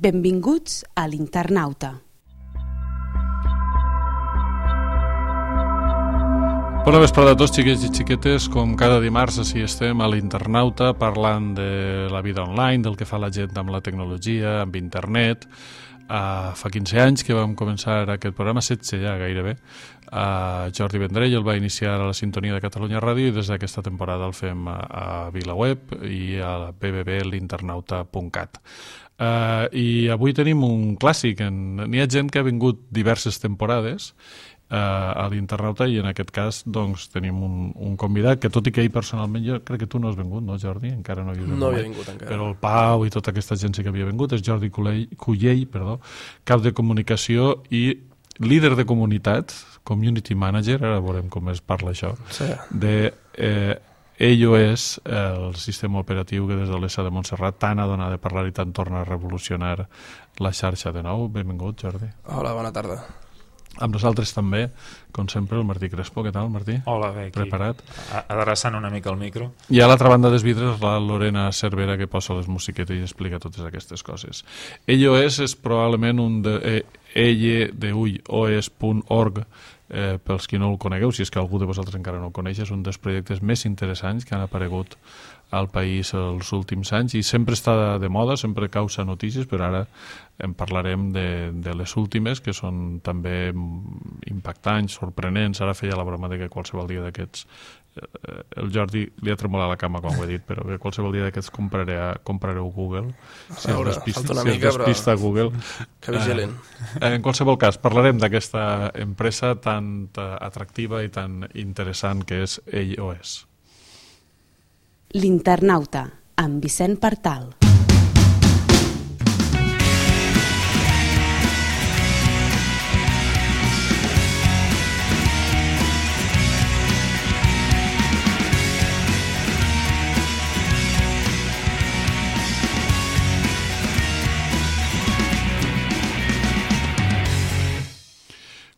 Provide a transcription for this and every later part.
Benvinguts a l'Internauta. Bona vesprada a tots, xiquets i xiquetes. Com cada dimarts, així estem a l'Internauta parlant de la vida online, del que fa la gent amb la tecnologia, amb internet. Fa 15 anys que vam començar aquest programa, 16 ja gairebé. Jordi Vendrell el va iniciar a la sintonia de Catalunya Ràdio i des d'aquesta temporada el fem a VilaWeb i a la www.l'internauta.cat. I avui tenim un clàssic. N'hi ha gent que ha vingut diverses temporades a l'Internauta i en aquest cas doncs, tenim un convidat que tot i que ell personalment, jo crec que tu no has vingut, no Jordi? Encara no havia vingut encara. Però el Pau i tota aquesta gent sí que havia vingut. És Jordi Cullell, cap de comunicació i líder de comunitat, community manager, ara veurem com es parla això, sí. De iOS, el sistema operatiu que des de l'ESA de Montserrat tant ha donat de parlar i tant torna a revolucionar la xarxa de nou. Benvingut, Jordi. Hola, bona tarda. Amb nosaltres també, com sempre, el Martí Crespo. Què tal, Martí? Hola, bé, aquí. Preparat? Adreçant una mica el micro. I a l'altra banda dels vidres, la Lorena Cervera, que posa les musiquetes i explica totes aquestes coses. iOS és probablement un de OS.org, pels qui no el conegueu, si és que algú de vosaltres encara no el coneix, és un dels projectes més interessants que han aparegut al país els últims anys i sempre està de moda, sempre causa notícies, però ara en parlarem de les últimes, que són també impactants, sorprenents. Ara feia la broma de que qualsevol dia d'aquests, el Jordi li ha tremolat la cama quan ho he dit, però que qualsevol dia d'aquests comprareu Google. Si es despista Google. Que vigilin. En qualsevol cas, parlarem d'aquesta empresa tan atractiva i tan interessant que és iOS. L'Internauta, amb Vicent Partal.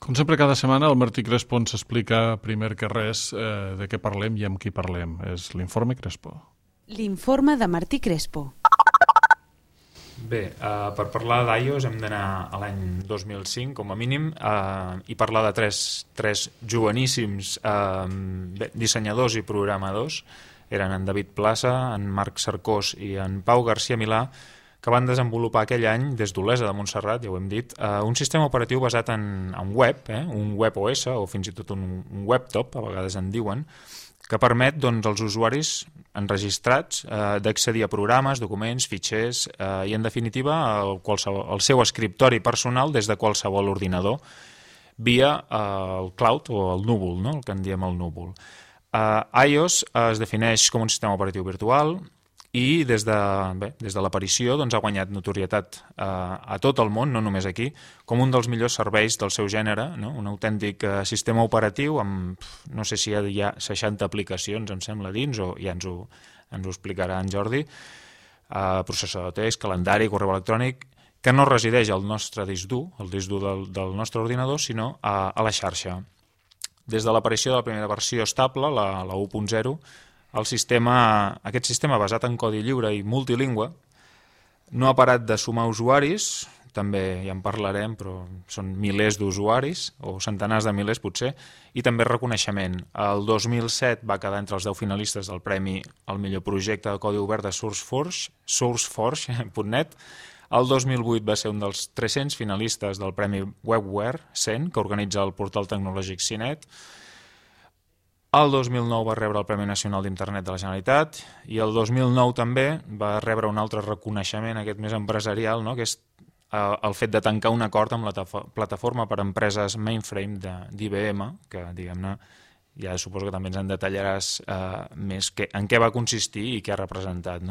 Com sempre, cada setmana el Martí Crespo ens explica primer que res de què parlem i amb qui parlem. És l'Informe Crespo. L'informe de Martí Crespo. Bé, per parlar d'iOS hem d'anar a l'any 2005, com a mínim, i parlar de tres joveníssims dissenyadors i programadors. Eren en David Plaça, en Marc Cercós i en Pau García Milà, que van desenvolupar aquell any, des d'Olesa de Montserrat, ja ho hem dit, un sistema operatiu basat en web, un web OS, o fins i tot un webtop, a vegades en diuen, que permet als usuaris enregistrats d'accedir a programes, documents, fitxers i, en definitiva, al seu escriptori personal des de qualsevol ordinador via el cloud o el núvol, el que en diem el núvol. iOS es defineix com un sistema operatiu virtual i des de l'aparició ha guanyat notorietat a tot el món, no només aquí, com un dels millors serveis del seu gènere, un autèntic sistema operatiu amb, no sé si hi ha 60 aplicacions, em sembla, dins, o ja ens ho explicarà en Jordi, processador de text, calendari, correu electrònic, que no resideix al nostre disc dur, el disc dur del nostre ordinador, sinó a la xarxa. Des de l'aparició de la primera versió estable, la 1.0, aquest sistema basat en codi lliure i multilingüe no ha parat de sumar usuaris, també ja en parlarem, però són milers d'usuaris, o centenars de milers potser, i també reconeixement. El 2007 va quedar entre els 10 finalistes del premi al millor projecte de codi obert de SourceForge.net. El 2008 va ser un dels 300 finalistes del premi WebWare 100, que organitza el portal tecnològic CINET. El 2009 va rebre el Premi Nacional d'Internet de la Generalitat i el 2009 també va rebre un altre reconeixement, aquest més empresarial, que és el fet de tancar un acord amb la plataforma per a empreses mainframe d'IBM, que, diguem-ne, ja suposo que també ens en detallaràs més en què va consistir i què ha representat.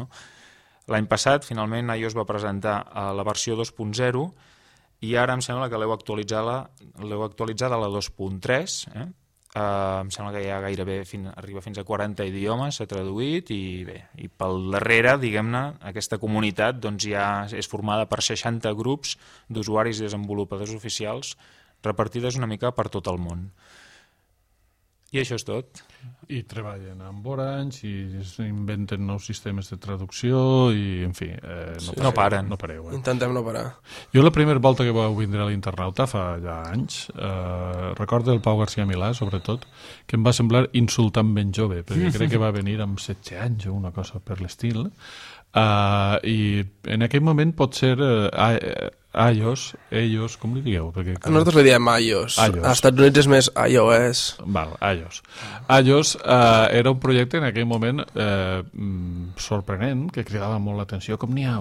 L'any passat, finalment, iOS va presentar la versió 2.0 i ara em sembla que l'heu actualitzada a la 2.3, em sembla que ja gairebé arriba fins a 40 idiomes, s'ha traduït i bé, i pel darrere, diguem-ne, aquesta comunitat ja és formada per 60 grups d'usuaris i desenvolupadors oficials repartides una mica per tot el món. I això és tot. I treballen amb Orange i s'inventen nous sistemes de traducció i, en fi, No paren. No pareu. Intentem no parar. Jo la primera volta que vau vindre a l'Internauta fa ja anys, recordo el Pau García Milà, sobretot, que em va semblar insultant ben jove, perquè crec que va venir amb 16 anys o una cosa per l'estil, i en aquell moment pot ser ellos, com li digueu? Perquè, Nosaltres li diem iOS. iOS. Als Estats Units és més iOS. Val, iOS era un projecte en aquell moment sorprenent, que cridava molt l'atenció, com n'hi ha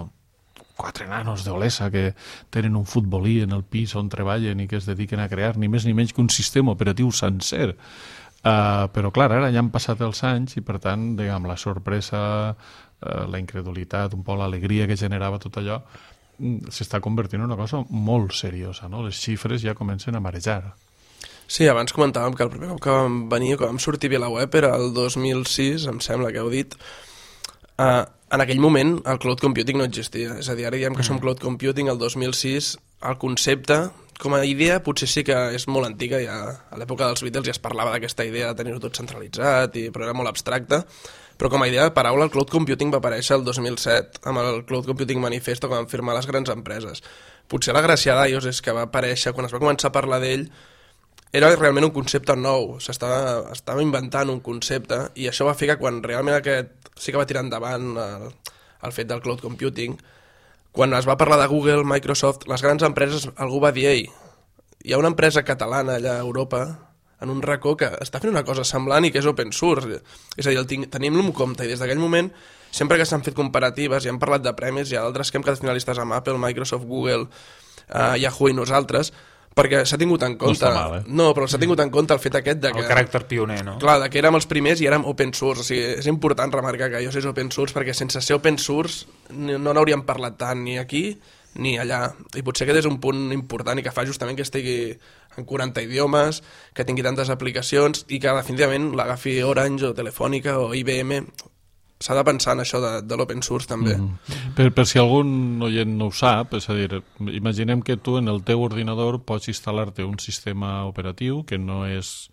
4 nanos d'Olesa que tenen un futbolí en el pis on treballen i que es dediquen a crear ni més ni menys que un sistema operatiu sencer. Però clar, ara ja han passat els anys i per tant, diguem, la sorpresa, la incredulitat, un poc l'alegria que generava tot allò, s'està convertint en una cosa molt seriosa, no? Les xifres ja comencen a marejar. Sí, abans comentàvem que el primer cop que vam venir, que vam sortir a VilaWeb, era el 2006, em sembla que heu dit. En aquell moment el cloud computing no existia. És a dir, ara diem que som cloud computing el 2006. El concepte, com a idea, potser sí que és molt antiga. Ja a l'època dels Beatles ja es parlava d'aquesta idea de tenir-ho tot centralitzat, però era molt abstracte. Però com a idea de paraula, el cloud computing va aparèixer el 2007 amb el Cloud Computing Manifesto que van firmar les grans empreses. Potser la gràcia d'iOS és que va aparèixer, quan es va començar a parlar d'ell, era realment un concepte nou, estava inventant un concepte i això va fer que quan realment aquest sí que va tirar endavant el fet del cloud computing, quan es va parlar de Google, Microsoft, les grans empreses, algú va dir, ei, hi ha una empresa catalana allà a Europa, en un racó que està fent una cosa semblant i que és open source. És a dir, tenim-lo en compte i des d'aquell moment, sempre que s'han fet comparatives i han parlat de premis, hi ha d'altres que hem quedat finalistes amb Apple, Microsoft, Google, Yahoo i nosaltres, perquè s'ha tingut en compte... No està mal, No, però s'ha tingut en compte el fet aquest de que... El caràcter pioner, no? Clar, que érem els primers i érem open source. O sigui, és important remarcar que iOS és open source perquè sense ser open source no n'hauríem parlat tant ni aquí ni allà. I potser aquest és un punt important i que fa justament que estigui en 40 idiomes, que tingui tantes aplicacions i que definitivament l'agafi Orange o Telefònica o IBM. S'ha de pensar en això de l'open source també. Per si algun oient no ho sap, és a dir, imaginem que tu en el teu ordinador pots instal·lar-te un sistema operatiu que no és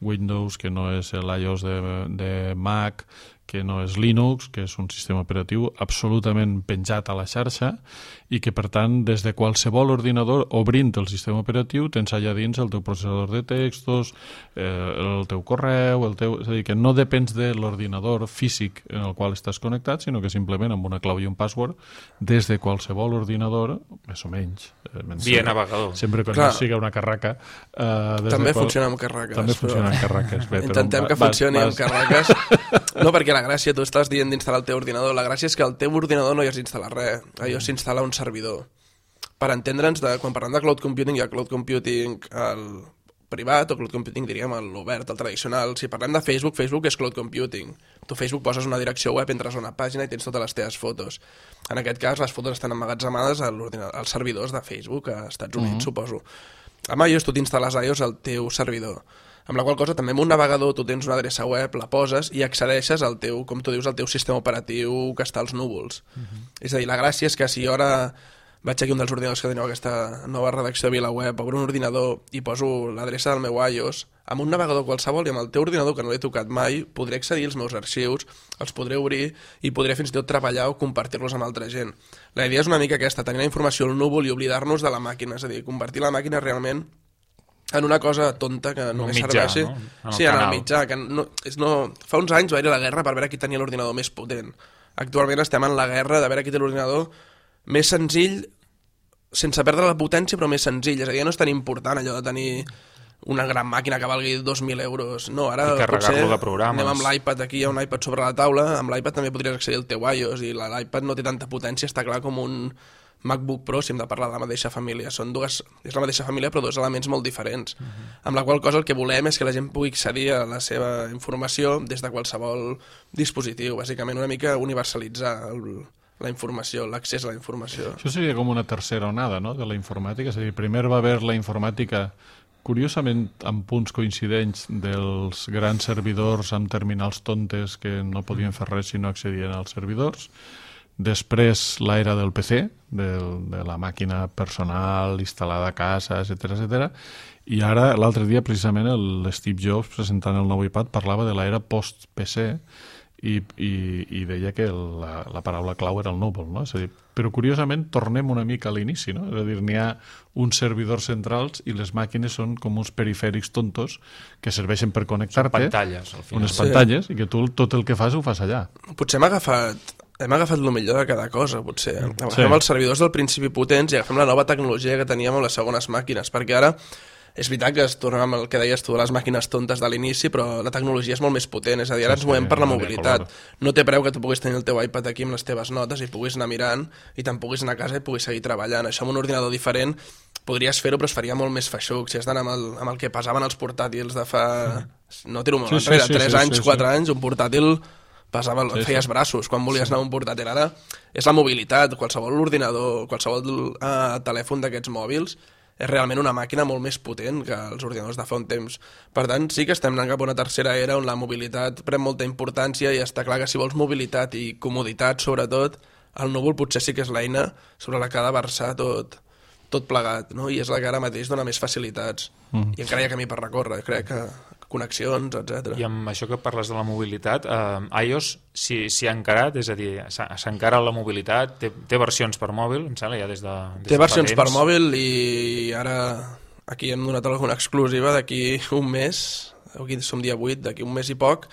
Windows, que no és l'iOS de Mac, que no és Linux, que és un sistema operatiu absolutament penjat a la xarxa i que, per tant, des de qualsevol ordinador, obrint el sistema operatiu, tens allà dins el teu processador de textos, el teu correu, és a dir, que no depens de l'ordinador físic en el qual estàs connectat, sinó que simplement amb una clau i un password, des de qualsevol ordinador, més o menys. Via navegador. Sempre que no sigui una carraca. També funciona amb carraques. També funciona amb carraques. Intentem que funcioni amb carraques. No, perquè la gràcia, tu estàs dient d'instal·lar el teu ordinador, la gràcia és que al teu ordinador no hi has d'instal·lar res, allò s'instal·la un servidor. Per entendre'ns, quan parlem de cloud computing, hi ha cloud computing el privat o cloud computing, diríem, l'obert, el tradicional. Si parlem de Facebook, Facebook és cloud computing. Tu a Facebook poses una direcció web, entres a una pàgina i tens totes les teves fotos. En aquest cas, les fotos estan emmagatzemades als servidors de Facebook a Estats Units, suposo. Amb iOS tu t'instal·les iOS al teu servidor. Amb la qual cosa també amb un navegador tu tens una adreça web, la poses i accedeixes al teu, com tu dius, al teu sistema operatiu que està als núvols. És a dir, la gràcia és que si jo ara vaig aquí un dels ordinadors que teniu aquesta nova redacció de VilaWeb, obro un ordinador i poso l'adreça del meu iOS, amb un navegador qualsevol i amb el teu ordinador que no l'he tocat mai, podré accedir als meus arxius, els podré obrir i podré fins i tot treballar o compartir-los amb altra gent. La idea és una mica aquesta, tenir la informació al núvol i oblidar-nos de la màquina, és a dir, convertir la màquina realment en una cosa tonta que només serveixi... No? Sí, en el mitjà. Que fa uns anys va haver la guerra per veure qui tenia l'ordinador més potent. Actualment estem en la guerra de veure qui té l'ordinador més senzill, sense perdre la potència, però més senzill. És a dir, no és tan important allò de tenir una gran màquina que valgui 2.000 euros. No, ara potser anem amb l'iPad aquí, hi ha un iPad sobre la taula, amb l'iPad també podries accedir al teu iOS i l'iPad no té tanta potència, està clar com un MacBook Pro, si hem de parlar de la mateixa família. És la mateixa família però dos elements molt diferents. Amb la qual cosa el que volem és que la gent pugui accedir a la seva informació des de qualsevol dispositiu, bàsicament una mica universalitzar la informació, l'accés a la informació. Això seria com una tercera onada, no?, de la informàtica. És a dir, primer va haver la informàtica, curiosament amb punts coincidents, dels grans servidors amb terminals tontes que no podien fer res si no accedien als servidors. després l'era del PC, de la màquina personal instal·lada a casa, etc. I ara, l'altre dia, precisament, l'Steve Jobs, presentant el nou iPad, parlava de l'era post-PC i deia que la paraula clau era el núvol, no? És a dir, però curiosament tornem una mica a l'inici, no? És a dir, n'hi ha uns servidors centrals i les màquines són com uns perifèrics tontos que serveixen per connectar-te. Són pantalles, al final. Unes pantalles, i que tu tot el que fas ho fas allà. Potser hem agafat el millor de cada cosa, potser. Agafem els servidors del principi potents i agafem la nova tecnologia que teníem amb les segones màquines, perquè ara és veritat que es torna amb el que deies tu de les màquines tontes de l'inici, però la tecnologia és molt més potent, és a dir, ara ens movem per la mobilitat. No té preu que tu puguis tenir el teu iPad aquí amb les teves notes i puguis anar mirant i te'n puguis anar a casa i puguis seguir treballant. Això amb un ordinador diferent podries fer-ho, però es faria molt més feixuc. Si has d'anar amb el que pesaven els portàtils de fa... No tiro molt enrere, 3 anys, 4 anys, un portàtil feies braços quan volies anar a un portàtil. Ara és la mobilitat, qualsevol ordinador, qualsevol telèfon d'aquests mòbils és realment una màquina molt més potent que els ordinadors de fa un temps. Per tant, sí que estem anant cap a una tercera era on la mobilitat pren molta importància i està clar que si vols mobilitat i comoditat, sobretot, el núvol potser sí que és l'eina sobre la que ha de versar tot plegat, no? I és la que ara mateix dona més facilitats. I encara hi ha camí per recórrer, crec que connexions, etc. I amb això que parles de la mobilitat, iOS s'hi ha encarat, és a dir, s'encara la mobilitat, té versions per mòbil, em sembla, ja des de té versions per mòbil i ara aquí hem donat alguna exclusiva d'aquí un mes, aquí som dia 8, d'aquí un mes i poc,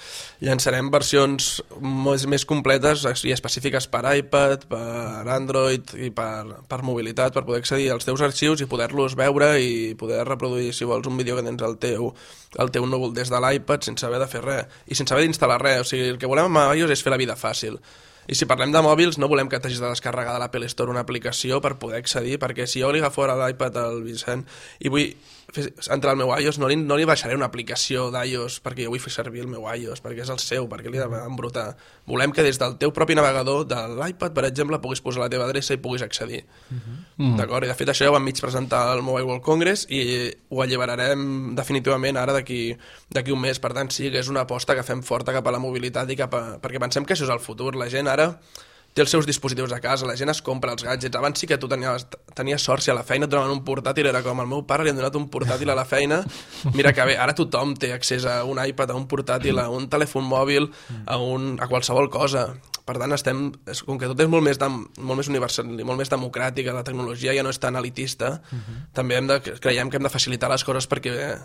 llançarem versions més completes i específiques per iPad, per Android i per mobilitat, per poder accedir als teus arxius i poder-los veure i poder reproduir, si vols, un vídeo que tens al teu núvol des de l'iPad sense haver de fer res i sense haver d'instal·lar res. O sigui, el que volem amb iOS és fer la vida fàcil. I si parlem de mòbils, no volem que t'hagis de descarregar de l'Apple Store una aplicació per poder accedir, perquè si jo li agafo ara l'iPad al Vicent i vull entrar al meu iOS, no li baixaré una aplicació d'iOS perquè jo vull fer servir el meu iOS, perquè és el seu, perquè li he d'embrutar. Volem que des del teu propi navegador de l'iPad, per exemple, puguis posar la teva adreça i puguis accedir. D'acord? I de fet això ja ho vam mig presentar al Mobile World Congress i ho alliberarem definitivament ara d'aquí un mes. Per tant, sí que és una aposta que fem forta cap a la mobilitat i perquè pensem que això és el futur. La gent ara té els seus dispositius a casa, la gent es compra els gadgets. Abans sí que tu tenies sort, si a la feina et donaven un portàtil, era com el meu pare li han donat un portàtil a la feina, mira que bé, ara tothom té accés a un iPad, a un portàtil, a un telèfon mòbil, a qualsevol cosa. Per tant, com que tot és molt més universal, molt més democràtica, la tecnologia ja no és tan elitista, també creiem que hem de facilitar les coses perquè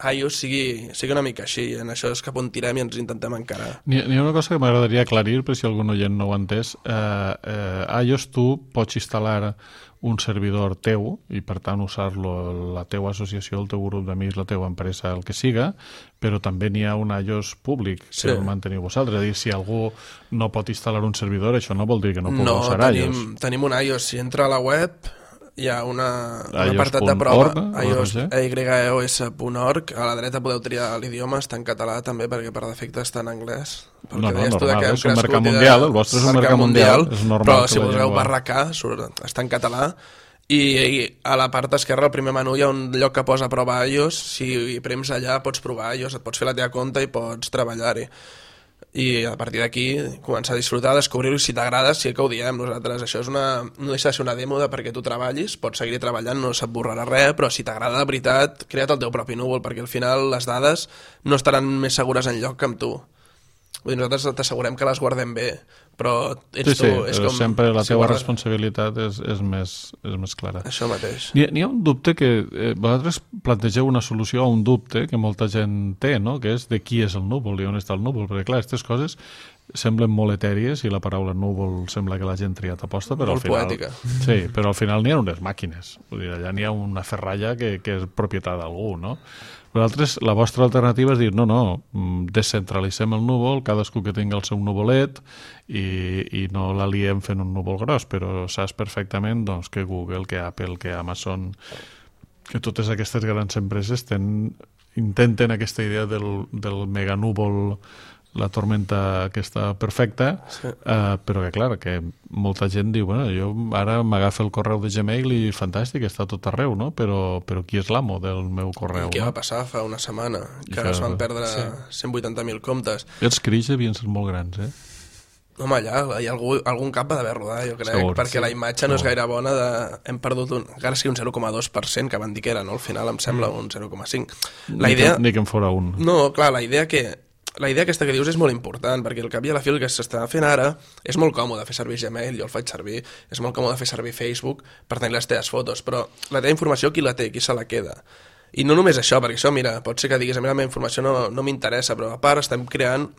iOS sigui una mica així, en això és cap on tirem i ens intentem encarar. N'hi ha una cosa que m'agradaria aclarir, per si algun oient no ho ha entès. iOS tu pots instal·lar un servidor teu i per tant usar-lo la teua associació, el teu grup d'amics, la teua empresa, el que siga, però també n'hi ha un iOS públic que el manteniu vosaltres. És a dir, si algú no pot instal·lar un servidor, això no vol dir que no pugui usar iOS. No, tenim un iOS. Si entra a la web hi ha un apartat de prova, iOS.org. A la dreta podeu triar l'idioma, està en català també, perquè per defecte està en anglès. No, normal, és un mercat mundial, el vostre és un mercat mundial, és normal. Però si poseu /K, està en català, i a la part esquerra, al primer menú, hi ha un lloc que posa prova iOS. Si prems allà pots provar iOS, et pots fer la teva compte i pots treballar-hi. I a partir d'aquí començar a disfrutar, descobrir-ho, i si t'agrada, sí que ho diem nosaltres. Això no deixa de ser una dèmo perquè tu treballis, pots seguir treballant, no se't borrarà res, però si t'agrada de veritat, crea't el teu propi núvol, perquè al final les dades no estaran més segures enlloc que amb tu. Vull dir, nosaltres t'assegurem que les guardem bé, però ets tu. És com, sempre la teva responsabilitat és més clara. Això mateix. N'hi ha un dubte que vosaltres plantegeu una solució a un dubte que molta gent té, no? Que és de qui és el núvol i on està el núvol, perquè clar, aquestes coses semblen molt etèries i la paraula núvol sembla que la gent triat aposta, però molt al final... poètica. Sí, però al final n'hi ha unes màquines. Vull dir, allà n'hi ha una ferralla que és propietat d'algú, no? Vosaltres, la vostra alternativa és dir, no, descentralitzem el núvol, cadascú que tingui el seu núvolet i no l'aliem fent un núvol gros, però saps perfectament doncs, que Google, que Apple, que Amazon, que totes aquestes grans empreses intenten aquesta idea del meganúvol, la tormenta aquesta perfecta, sí. Però que clar, que molta gent diu, bueno, jo ara m'agafa el correu de Gmail i fantàstic, està tot arreu, no? Però qui és l'amo del meu correu? I què va passar fa una setmana? Que es van perdre 180.000 comptes. I els cris devien ser molt grans, Home, allà hi ha algun cap d'haver rodat, jo crec, Segur, perquè sí, la imatge no és gaire bona. Hem perdut encara sigui un 0,2%, que van dir que era, no? Al final em sembla un 0,5%. Ni que en fora un. No, clar, la idea aquesta que dius és molt important, perquè al cap i a la fi el que s'està fent ara és molt còmode fer servir Gmail, jo el faig servir, és molt còmode fer servir Facebook per tenir les teves fotos, però la teva informació qui la té, qui se la queda? I no només això, perquè això, mira, pot ser que diguis, a mi la meva informació no m'interessa, però a part estem creant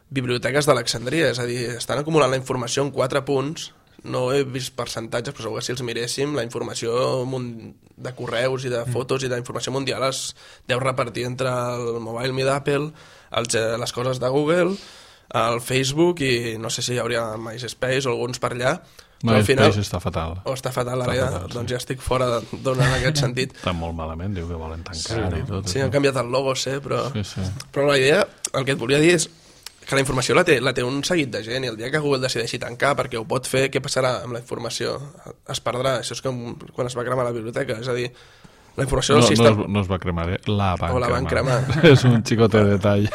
biblioteques d'Alexandria, és a dir, estan acumulant la informació en 4 punts, no he vist percentatges, però segur que si els miréssim, la informació de correus i de fotos i d'informació mundial es deu repartir entre el Mobile Me d'Apple, les coses de Google, el Facebook i no sé si hi hauria MySpace o alguns per allà, però al final... MySpace està fatal. O està fatal l'àrea, doncs ja estic fora d'ona en aquest sentit. Està molt malament, diu que volen tancar i tot. Sí, han canviat el logo, sé, però... Sí. Però la idea, el que et volia dir és que la informació la té un seguit de gent i el dia que Google decideixi tancar perquè ho pot fer, què passarà amb la informació? Es perdrà, això és com quan es va cremar la biblioteca, és a dir, la informació del sistema... No es va cremar, la van cremar. O la van cremar. És un xicote de detall.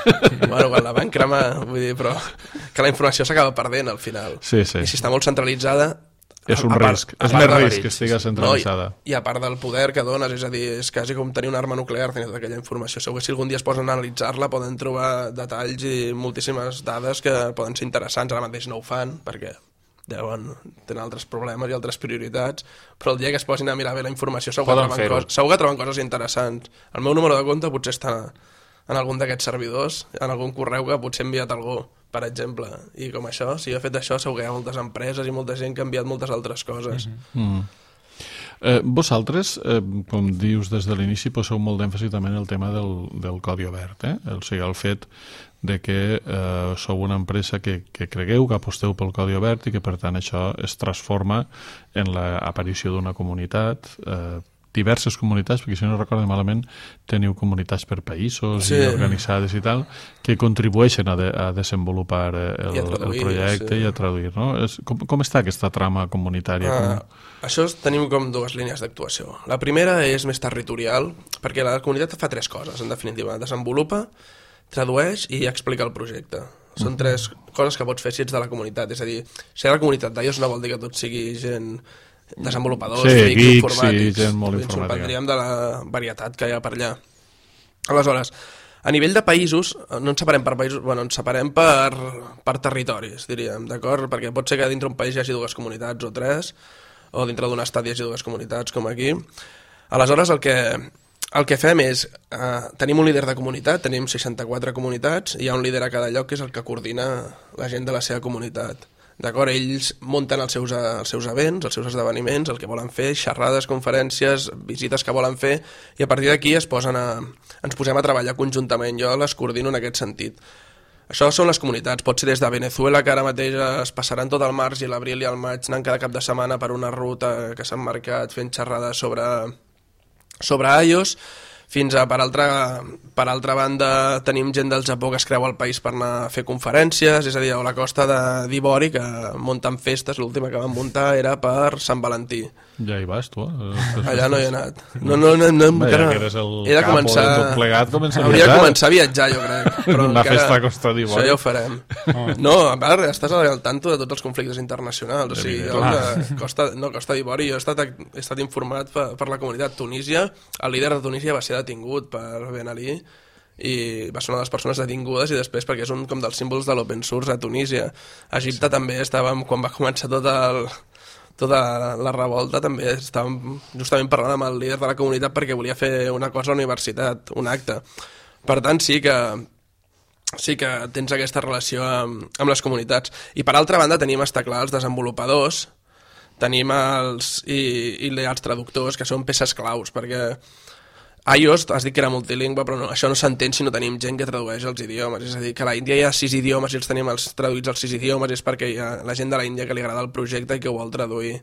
Bueno, quan la van cremar, vull dir, però que la informació s'acaba perdent al final. Sí. I si està molt centralitzada... És un risc, és més risc que estigui centralitzada. I a part del poder que dones, és a dir, és quasi com tenir una arma nuclear, tenir tota aquella informació. Segur que si algun dia es posen a analitzar-la poden trobar detalls i moltíssimes dades que poden ser interessants. Ara mateix no ho fan, perquè tenen altres problemes i altres prioritats, però el dia que es posin a mirar bé la informació segur que troben coses interessants. El meu número de compte potser està en algun d'aquests servidors, en algun correu que potser ha enviat algú, per exemple, i com això, si jo he fet això segur que hi ha moltes empreses i molta gent que ha enviat moltes altres coses. Vosaltres, com dius des de l'inici, poseu molt d'èmfasi també en el tema del codi obert, o sigui, el fet de que sou una empresa que cregueu, que aposteu pel codi obert i que per tant això es transforma en l'aparició d'una comunitat, diverses comunitats, perquè si no recordo malament teniu comunitats per països i organitzades i tal, que contribueixen a desenvolupar el projecte i a traduir, no? Com està aquesta trama comunitària? Això tenim com 2 línies d'actuació. La primera és més territorial, perquè la comunitat fa 3 coses, en definitiva. Desenvolupa, tradueix i explica el projecte. Són 3 coses que pots fer si ets de la comunitat. És a dir, si ets de la comunitat d'iOS no vol dir que tot sigui gent desenvolupadors, geeks, informàtics. Sí, gent molt informàtica. Ens sorprendríem de la varietat que hi ha per allà. Aleshores, a nivell de països, no ens separem per països, ens separem per territoris, diríem, d'acord? Perquè pot ser que dintre un país hi hagi 2 comunitats o 3, o dintre d'un estat hi hagi 2 comunitats, com aquí. Aleshores, el que fem és, tenim un líder de comunitat, tenim 64 comunitats, i hi ha un líder a cada lloc que és el que coordina la gent de la seva comunitat. D'acord? Ells munten els seus events, els seus esdeveniments, el que volen fer, xerrades, conferències, visites que volen fer, i a partir d'aquí ens posem a treballar conjuntament. Jo les coordino en aquest sentit. Això són les comunitats. Pot ser des de Venezuela, que ara mateix es passaran tot el març i l'abril i el maig anant cada cap de setmana per una ruta que s'han marcat fent xerrades sobre iOS, fins a, per altra banda, tenim gent del Japó que es creu al país per anar a fer conferències, és a dir, a la costa d'Ivori, que munten festes, l'última que van muntar era per Sant Valentí. Ja hi vas, tu? Allà no hi he anat. No, ja que eres el capo de tot plegat, hauria de començar a viatjar, jo crec. Però una festa a costa d'Ivori. Això ja ho farem. No, a part, estàs al tanto de tots els conflictes internacionals. O sigui, Costa d'Ivori, jo he estat informat per la comunitat. Tunísia, el líder de Tunísia va ser detingut per Ben Ali i va ser una de les persones detingudes i després perquè és un com dels símbols de l'open source a Tunísia. A Egipte també estàvem, quan va començar tota la revolta, també estàvem justament parlant amb el líder de la comunitat perquè volia fer una cosa a la universitat, un acte. Per tant, sí que tens aquesta relació amb les comunitats. I per altra banda tenim, està clar, els desenvolupadors, tenim els traductors, que són peces claus, perquè iOS, has dit que era multilingüe, però això no s'entén si no tenim gent que tradueix els idiomes. És a dir, que a l'Índia hi ha 6 idiomes i els tenim traduïts als 6 idiomes, és perquè hi ha la gent de l'Índia que li agrada el projecte i que ho vol traduir.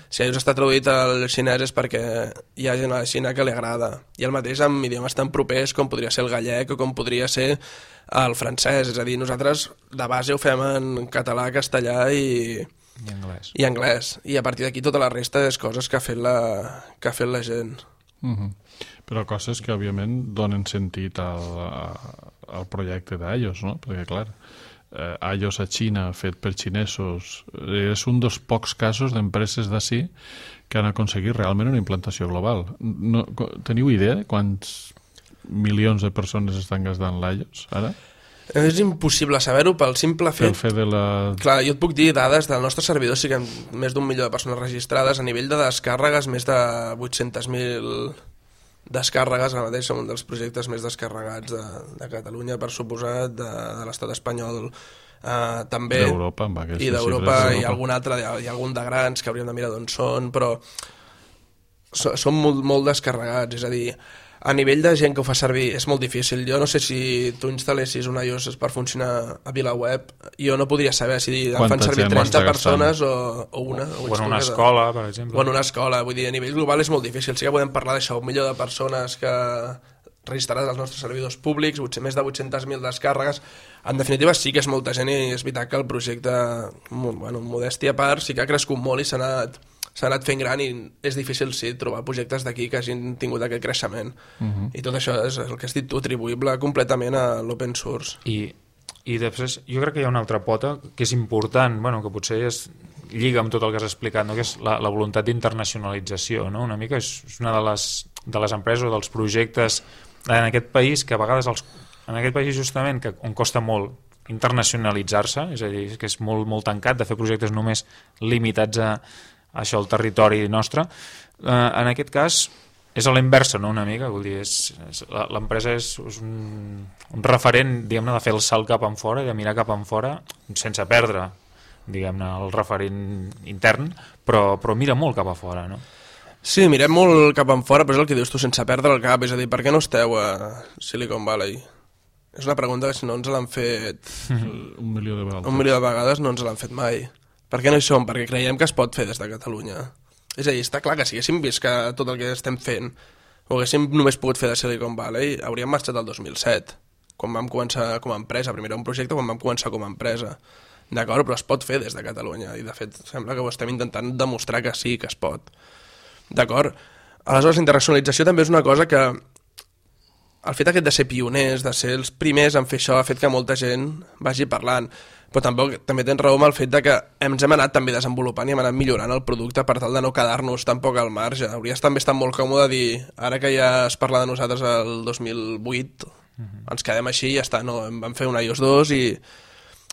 Si iOS està traduït al xinès és perquè hi ha gent a la Xina que li agrada. I el mateix amb idiomes tan propers com podria ser el gallec o com podria ser el francès. És a dir, nosaltres de base ho fem en català, castellà i anglès. I a partir d'aquí tota la resta és coses que ha fet la gent. Però coses que, òbviament, donen sentit al projecte d'iOS, no? Perquè, clar, iOS a Xina, fet per xinesos. És un dels pocs casos d'empreses d'ací que han aconseguit realment una implantació global. No, teniu idea de quants milions de persones estan gastant l'iOS ara? És impossible saber-ho pel simple fet... Pel fet de la... Clar, jo et puc dir dades del nostre servidor, sí que hi ha més d'1 milió de persones registrades, a nivell de descàrregues, més de 800.000 descàrregues, ara mateix som un dels projectes més descarregats de Catalunya, per suposat, de l'estat espanyol, també... D'Europa, amb aquestes i d'Europa, xifres. i algun altre, hi ha algun de grans que hauríem de mirar d'on són, però són molt descarregats, és a dir, a nivell de gent que ho fa servir és molt difícil. Jo no sé si tu instal·lessis un iOS per funcionar a VilaWeb, jo no podria saber si en fan servir 30 persones o una. O en una escola, per exemple. O en una escola, vull dir, a nivell global és molt difícil. Sí que podem parlar d'això, 1 milió de persones que registrades als nostres servidors públics, més de 800.000 descàrregues. En definitiva sí que és molta gent i és veritat que el projecte, modèstia a part, sí que ha crescut molt i s'ha anat fent gran i és difícil, sí, trobar projectes d'aquí que hagin tingut aquest creixement. I tot això és el que has dit tu, atribuïble completament a l'open source. I després jo crec que hi ha una altra pota que és important, que potser lliga amb tot el que has explicat, no? Que és la voluntat d'internacionalització, no? Una mica és una de les empreses o dels projectes en aquest país que a vegades en aquest país justament on costa molt internacionalitzar-se, és a dir, que és molt, molt tancat de fer projectes només limitats a això, el territori nostre. En aquest cas és a la inversa, no? Una mica, vull dir, l'empresa és un referent, diguem-ne, de fer el salt cap enfora i de mirar cap enfora sense perdre, diguem-ne, el referent intern, però mira molt cap a fora, no? Sí, mirem molt cap enfora, però és el que dius tu, sense perdre el cap, és a dir, per què no esteu a Silicon Valley? És una pregunta que si no ens l'han fet 1 milió de vegades. 1 milió de vegades no ens l'han fet mai. Per què no hi som? Perquè creiem que es pot fer des de Catalunya. És a dir, està clar que si haguéssim vist que tot el que estem fent ho haguéssim només pogut fer de Silicon Valley, hauríem marxat el 2007, quan vam començar com a empresa. Primer era un projecte quan vam començar com a empresa. D'acord, però es pot fer des de Catalunya i de fet sembla que ho estem intentant demostrar que sí, que es pot. D'acord? Aleshores, la internacionalització també és una cosa que el fet aquest de ser pioners, de ser els primers en fer això, ha fet que molta gent vagi parlant. Però també tens raó amb el fet de que ens hem anat també desenvolupant i hem anat millorant el producte per tal de no quedar-nos tampoc al marge. Hauries també estat molt còmode dir, ara que ja es parla de nosaltres el 2008, ens quedem així i ja està, no, vam fer un iOS 2 i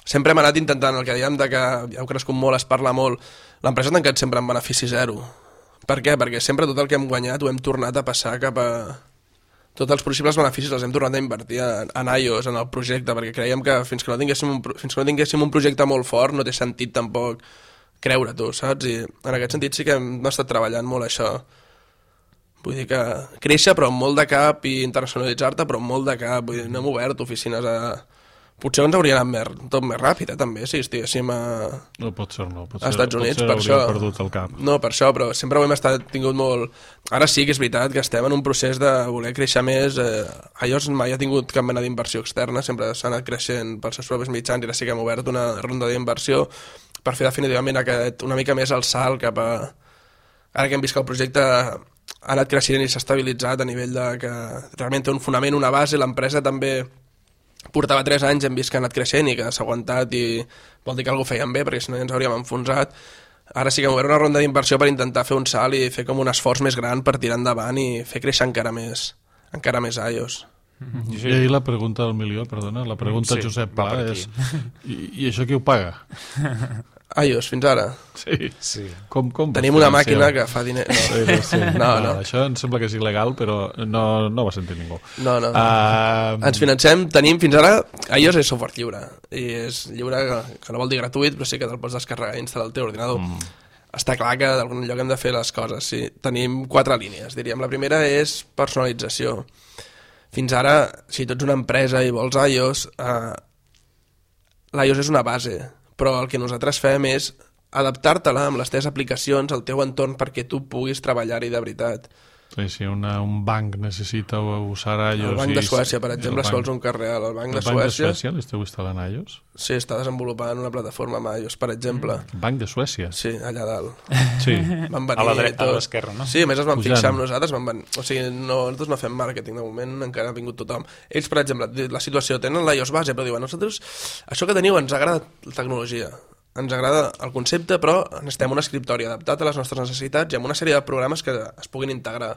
sempre hem anat intentant el que dèiem de que ja heu crescut molt, es parla molt. L'empresa ha tancat sempre en benefici zero. Per què? Perquè sempre tot el que hem guanyat ho hem tornat a passar cap a... Tots els possibles beneficis els hem tornat a invertir en iOS, en el projecte, perquè creiem que fins que no tinguéssim un projecte molt fort no té sentit tampoc creure-t'ho, saps? I en aquest sentit sí que hem estat treballant molt això. Vull dir que créixer però amb molt de cap i internacionalitzar-te però amb molt de cap. Vull dir, no hem obert oficines a... Potser ens hauria anat tot més ràpid, també, si estiguéssim No, potser no. Als Estats Units, per això. Perdut el cap. No, per això, però sempre ho hem tingut molt... Ara sí que és veritat que estem en un procés de voler créixer més. iOS mai ha tingut cap mena d'inversió externa, sempre s'ha anat creixent pels seus propis mitjans i ara sí que hem obert una ronda d'inversió per fer definitivament una mica més el salt cap a... Ara que hem vist que el projecte ha anat creixent i s'ha estabilitzat a nivell de que realment té un fonament, una base, l'empresa també... Portava 3 anys, hem vist que ha anat creixent i que s'ha aguantat i vol dir que alguna fèiem bé perquè si no ja ens hauríem enfonsat. Ara sí que hem obert una ronda d'inversió per intentar fer un salt i fer com un esforç més gran per tirar endavant i fer créixer encara més iOS. I ahir la pregunta del milió, perdona, la pregunta Sí, Josep va Pla per és i això qui ho paga? iOS, fins ara. Sí. Com Tenim una màquina que fa diner... Sí. No. Això em sembla que és il·legal, però no va sentir ningú. No. Ens financem, tenim fins ara... iOS és software lliure. I és lliure, que no vol dir gratuït, però sí que te'l pots descarregar i instal·lar al teu ordinador. Està clar que d'algun lloc hem de fer les coses, sí. Tenim 4 línies, diríem. La primera és personalització. Fins ara, si tu ets una empresa i vols iOS, l'iOS és una base, però el que nosaltres fem és adaptar-te-la amb les teves aplicacions al teu entorn perquè tu puguis treballar-hi de veritat. Si un banc necessita usar iOS... El Banc de Suècia, per exemple, si vols un cas real. El Banc de Suècia... El Banc de Suècia l'esteu instal·lant iOS? Sí, està desenvolupant una plataforma amb iOS, per exemple. Banc de Suècia? Sí, allà dalt. Sí. Van venir a l'esquerra, no? Sí, a més es van fixar amb nosaltres. O sigui, nosaltres no fem màrqueting, de moment encara ha vingut tothom. Ells, per exemple, la situació, tenen l'iOS base, però diuen, nosaltres, això que teniu ens agrada la tecnologia, ens agrada el concepte, però necessitem un escriptori adaptat a les nostres necessitats i amb una sèrie de programes que es puguin integrar.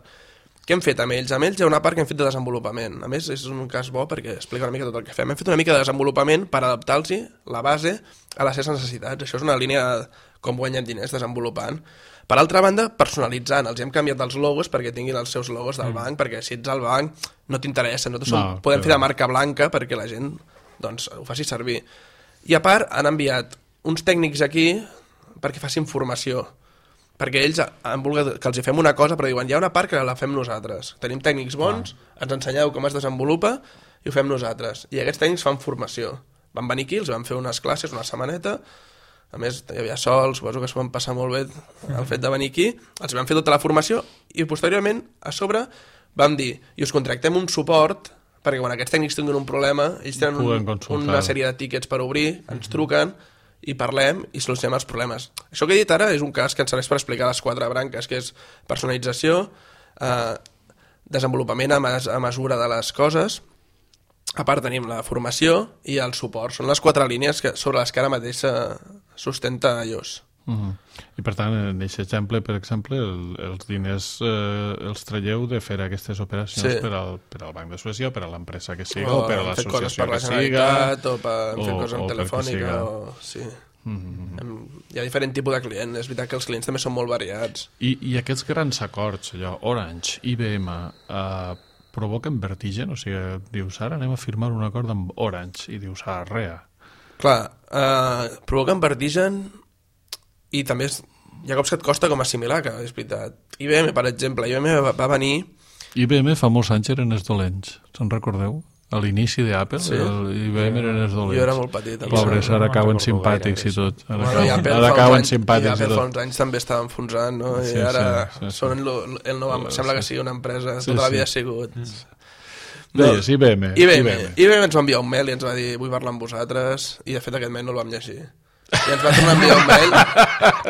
Què hem fet amb ells? Amb ells hi ha una part que hem fet de desenvolupament. A més, és un cas bo perquè explica una mica tot el que fem. Hem fet una mica de desenvolupament per adaptar-los la base a les seves necessitats. Això és una línia de com guanyem diners desenvolupant. Per altra banda, personalitzant. Els hem canviat els logos perquè tinguin els seus logos del banc, perquè si ets al banc no t'interessa. Nosaltres podem fer de marca blanca perquè la gent ho faci servir. I a part, han enviat uns tècnics aquí perquè facin formació, perquè ells han volgut que els hi fem una cosa, però diuen, hi ha una part que la fem nosaltres. Tenim tècnics bons, ens ensenyeu com es desenvolupa i ho fem nosaltres. I aquests tècnics fan formació. Van venir aquí, els van fer unes classes, una setmaneta, a més hi havia sol, suposo que s'ho van passar molt bé el fet de venir aquí, els van fer tota la formació i posteriorment, a sobre, vam dir, i us contractem un suport perquè quan aquests tècnics tinguin un problema, ells tenen una sèrie de tíquets per obrir, ens truquen i parlem i solucionem els problemes. Això que he dit ara és un cas que ens serveix per explicar les 4 branques, que és personalització, desenvolupament a mesura de les coses, a part tenim la formació i el suport. Són les 4 línies sobre les que ara mateix sustenta iOS. I per tant, en aquest exemple, per exemple, els diners els traieu de fer aquestes operacions per al Banc de Suècia o per a l'empresa que siga o per a l'associació que siga o per fer coses amb telefònica sí. Hi ha diferent tipus de client. És veritat que els clients també són molt variats. I aquests grans acords, allò, Orange, IBM, provoquen vertigen? O sigui, dius, ara anem a firmar un acord amb Orange i dius, rea. Clar, provoquen vertigen i també hi ha cops que et costa com assimilar, que és veritat. IBM, per exemple, IBM va venir... IBM fa molts anys eren els dolents, se'n recordeu? A l'inici d'Apple, IBM eren els dolents. Jo era molt petit. Pobres, ara cauen simpàtics i tot. Ara cauen simpàtics i tot. I Apple fa uns anys també estava enfonsant, no? I ara són el nou... Sembla que sigui una empresa, tota la vida ha sigut... Deies, IBM. IBM ens va enviar un mail i ens va dir vull parlar amb vosaltres, i de fet aquest mail no el vam llegir. I ens va tornar a enviar un mail.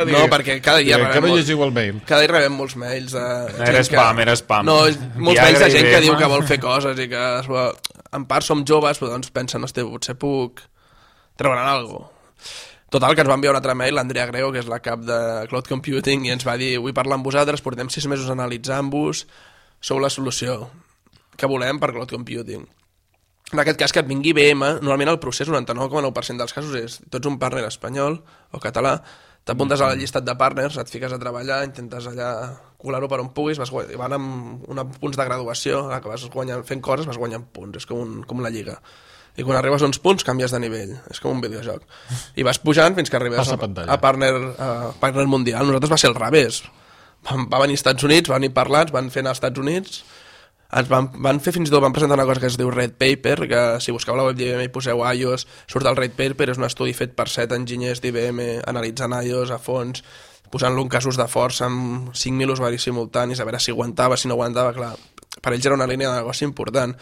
No, perquè cada dia rebem molts mails. Era spam. No, molts mails de gent que diu que vol fer coses i que en part som joves, però doncs pensen, hòstia, potser puc treure'n alguna cosa. Total, que ens va enviar un altre mail l'Andrea Grego, que és la cap de Cloud Computing, i ens va dir, vull parlar amb vosaltres, portem 6 mesos analitzant-vos, sou la solució que volem per Cloud Computing. En aquest cas, que et vingui IBM, normalment el procés, 99,9% dels casos, és tu ets un partner espanyol o català, t'apuntes a la llistat de partners, et fiques a treballar, intentes allà colar-ho per on puguis, van amb punts de graduació, que vas fent coses, vas guanyant punts, és com la lliga. I quan arribes a uns punts, canvies de nivell, és com un videojoc. I vas pujant fins que arribes a partner mundial. Nosaltres va ser al revés. Va venir als Estats Units, van venir parlants, van fer anar als Estats Units, van fer fins i tot, van presentar una cosa que es diu Red Paper, que si busqueu la web d'IBM i poseu iOS, surt el Red Paper, és un estudi fet per 7 enginyers d'IBM analitzant iOS a fons, posant-lo en casos de força amb 5.000 usuaris simultanis, a veure si aguantava, si no aguantava, clar, per ells era una línia de negoci important.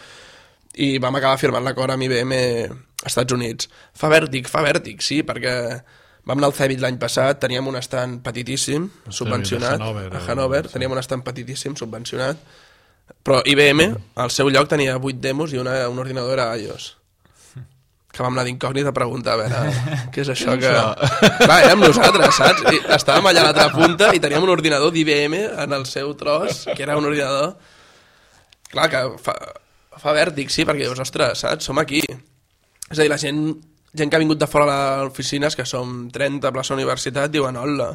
I vam acabar firmant l'acord amb IBM als Estats Units. Fa vèrtic, sí, perquè vam anar al CeBIT l'any passat, teníem un estand petitíssim, subvencionat, a Hannover, teníem un estand petitíssim, subvencionat, però IBM, al seu lloc, tenia 8 demos i un ordinador era iOS. Que vam anar d'incògnit a preguntar, a veure, què és això que... Clar, érem nosaltres, saps? I estàvem allà a l'altra punta i teníem un ordinador d'IBM en el seu tros, que era un ordinador... Clar, que fa vèrtic, sí, perquè dius, ostres, saps? Som aquí. És a dir, la gent que ha vingut de fora a l'oficines, que som 30 a plaça universitat, diuen, hola,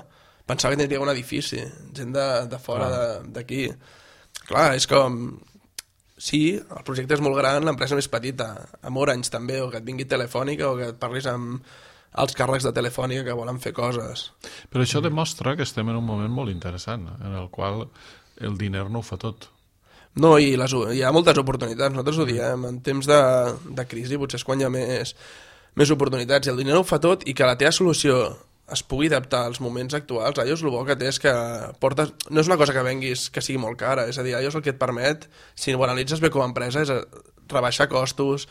pensava que tindria un edifici, gent de fora d'aquí. Clar, és com... Sí, el projecte és molt gran, l'empresa més petita, amb Orange també, o que et vingui Telefònica, o que et parlis amb els càrrecs de Telefònica que volen fer coses. Però això demostra que estem en un moment molt interessant, en el qual el diner no ho fa tot. No, i hi ha moltes oportunitats, nosaltres ho diem, en temps de crisi potser és quan hi ha més oportunitats, i el diner no ho fa tot, i que la teva solució es pugui adaptar als moments actuals. iOS el bo que té és que portes... no és una cosa que venguis que sigui molt cara, és a dir, iOS el que et permet, si ho analitzes bé com a empresa, és rebaixar costos,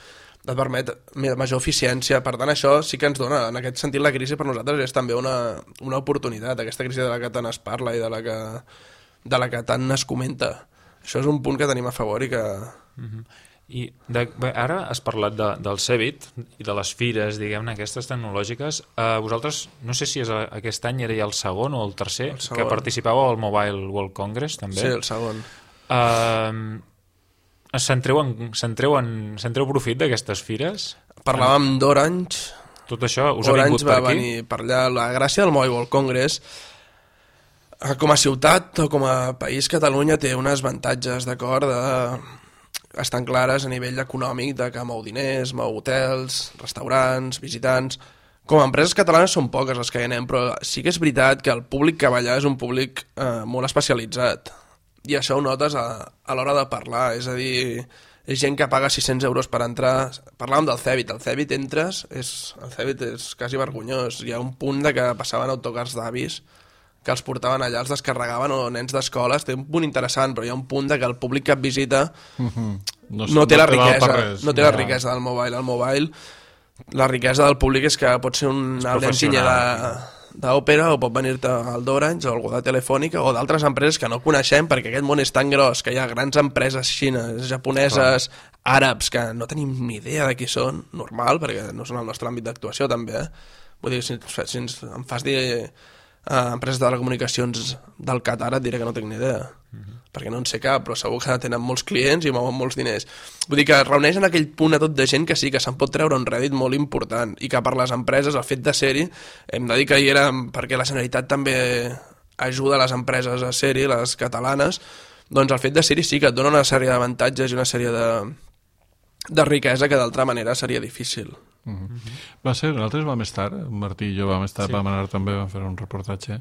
et permet major eficiència. Per tant, això sí que ens dona, en aquest sentit, la crisi per nosaltres és també una oportunitat, aquesta crisi de la que tant es parla i de la que tant es comenta. Això és un punt que tenim a favor i que... I ara has parlat del CeBIT i de les fires, diguem-ne, aquestes tecnològiques. Vosaltres, no sé si és aquest any era ja el segon o el tercer, que participàveu al Mobile World Congress, també. Sí, el segon. Sentreu profit d'aquestes fires? Parlàvem d'Orange. Tot això us ha vingut per aquí? Orange va venir per allà. La gràcia del Mobile World Congress, com a ciutat o com a país, Catalunya té unes avantatges, d'acord, estan clares a nivell econòmic, de que mou diners, mou hotels, restaurants, visitants. Com a empreses catalanes són poques les que hi anem, però sí que és veritat que el públic que va allà és un públic molt especialitzat. I això ho notes a l'hora de parlar, és a dir, és gent que paga 600 euros per entrar. Parlàvem del CeBIT, el CeBIT entres, el CeBIT és quasi vergonyós. Hi ha un punt de que passaven autocars d'avis que els portaven allà, els descarregaven, o nens d'escoles. Té un punt interessant, però hi ha un punt de que el públic que et visita no té la riquesa del mobile. El mobile, la riquesa del públic és que pot ser un enginyer d'òpera, o pot venir-te al d'Orange o algú de Telefònica o d'altres empreses que no coneixem, perquè aquest món és tan gros que hi ha grans empreses xines, japoneses, àrabs, que no tenim ni idea de qui són, normal, perquè no són el nostre àmbit d'actuació també, Vull dir, si em fas dir empreses de telecomunicacions del Qatar, et diré que no tinc ni idea, perquè no en sé cap, però segur que tenen molts clients i mouen molts diners. Vull dir que reuneix en aquell punt a tot de gent que sí, que se'n pot treure un rèdit molt important, i que per les empreses, el fet de ser-hi, hem de dir que hi era perquè la Generalitat també ajuda les empreses a ser-hi, les catalanes, doncs el fet de ser-hi sí que et dona una sèrie d'avantatges i una sèrie de riquesa que d'altra manera seria difícil. Va ser, nosaltres vam estar, Martí i jo vam anar també, vam fer un reportatge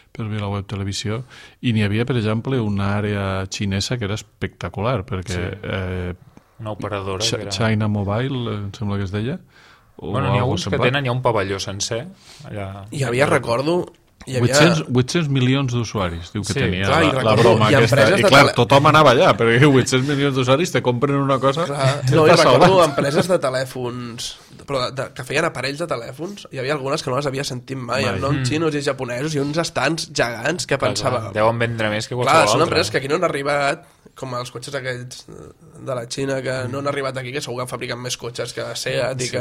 per VilaWeb Televisió, i n'hi havia, per exemple, una àrea xinesa que era espectacular, perquè una operadora que era... China Mobile, em sembla que es deia. Bueno, n'hi ha uns que tenen ja un pavelló sencer allà. Hi havia, recordo, 800 milions d'usuaris, diu que tenia clar, la broma aquesta. I clar, tothom anava allà, perquè 800 milions d'usuaris te compren una cosa... No, i recordo empreses de telèfons, però que feien aparells de telèfons, hi havia algunes que no les havia sentit mai, amb noms xinos i japonesos, i uns estants gegants que pensava... Deuen vendre més que qualsevol altre. Clar, són empreses que aquí no han arribat, com els cotxes aquells de la Xina, que no han arribat aquí, que segur que fabriquen més cotxes que Seat i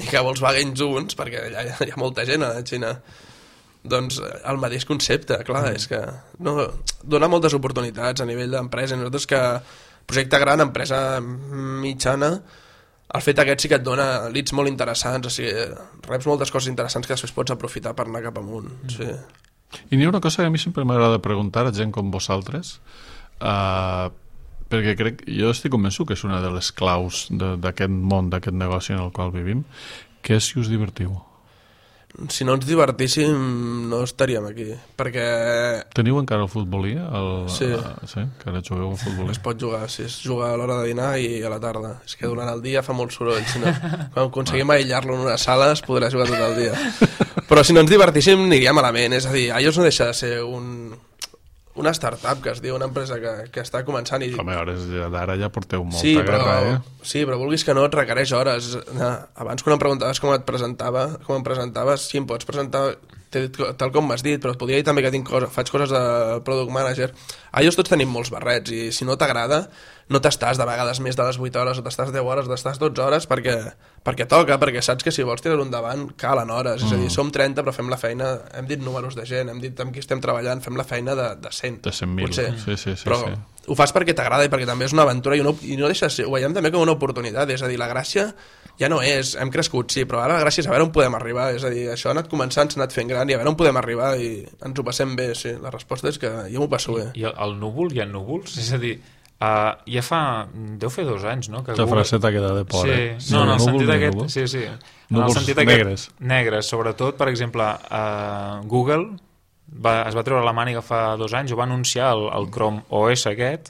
que Volkswagen junts, perquè hi ha molta gent a la Xina. Doncs el mateix concepte, clar, és que dona moltes oportunitats a nivell d'empresa. Nosaltres que projecte gran, empresa mitjana, el fet aquest sí que et dona leads molt interessants, o sigui, reps moltes coses interessants que després pots aprofitar per anar cap amunt. Sí. I n'hi ha una cosa que a mi sempre m'agrada preguntar a gent com vosaltres, perquè jo estic convençut que és una de les claus d'aquest món, d'aquest negoci en el qual vivim, que és si us divertiu. Si no ens divertíssim no estaríem aquí, perquè... Teniu encara el futbolí? Sí. Encara jugueu al futbolí? Es pot jugar, sí, es juga a l'hora de dinar i a la tarda. És que durant el dia fa molt soroll, si no, quan aconseguim aïllar-lo en una sala es podrà jugar tot el dia. Però si no ens divertíssim aniria malament, és a dir, iOS no deixa de ser una startup, que es diu, una empresa que està començant i... Home, d'ara ja porteu molta guerra, Sí, però vulguis que no, et requereix hores. Abans, quan em preguntaves com em presentaves, sí, em pots presentar tal com m'has dit, però et podria dir també que faig coses de product manager. iOS tots tenim molts barrets, i si no t'agrada, no t'estàs de vegades més de les 8 hores, o t'estàs 10 hores, o t'estàs 12 hores, perquè toca, perquè saps que si vols tirar-ho endavant, calen hores. És a dir, som 30, però fem la feina, hem dit números de gent, hem dit amb qui estem treballant, fem la feina de 100. De 100.000, sí. Però ho fas perquè t'agrada i perquè també és una aventura, i no deixa de ser, ho veiem també com una oportunitat, és a dir, la gràcia ja no és, hem crescut, sí, però ara la gràcia és a veure on podem arribar, és a dir, això ha anat començant, s'ha anat fent gran, i a veure on podem arribar, i ens ho passem bé, sí, la resposta és que jo m'ho passo bé. I el núvol, hi ha núvols? És a dir, deu fer 2 anys, no? La fraseta queda de por, sí. No, en el sentit aquest, sí. Núvols negres. Negres, sobretot, per exemple, Google es va treure la màniga fa 2 anys, ho va anunciar el Chrome OS aquest,